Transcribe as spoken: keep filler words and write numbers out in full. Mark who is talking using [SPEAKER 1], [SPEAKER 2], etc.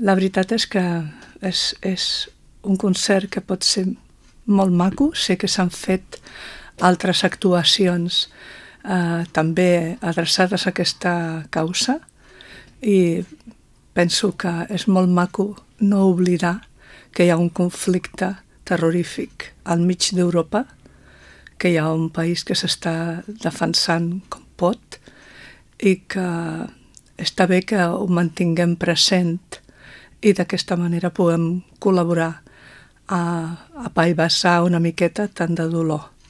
[SPEAKER 1] La veritat és que és, és un concert que pot ser molt maco. Sé que s'han fet altres actuacions eh, també adreçades a aquesta causa i penso que és molt maco no oblidar que hi ha un conflicte terrorífic al mig d'Europa, que hi ha un país que s'està defensant com pot i que està bé que ho mantinguem present i d'aquesta manera puguem col·laborar a, a apaivassar una miqueta tant de dolor.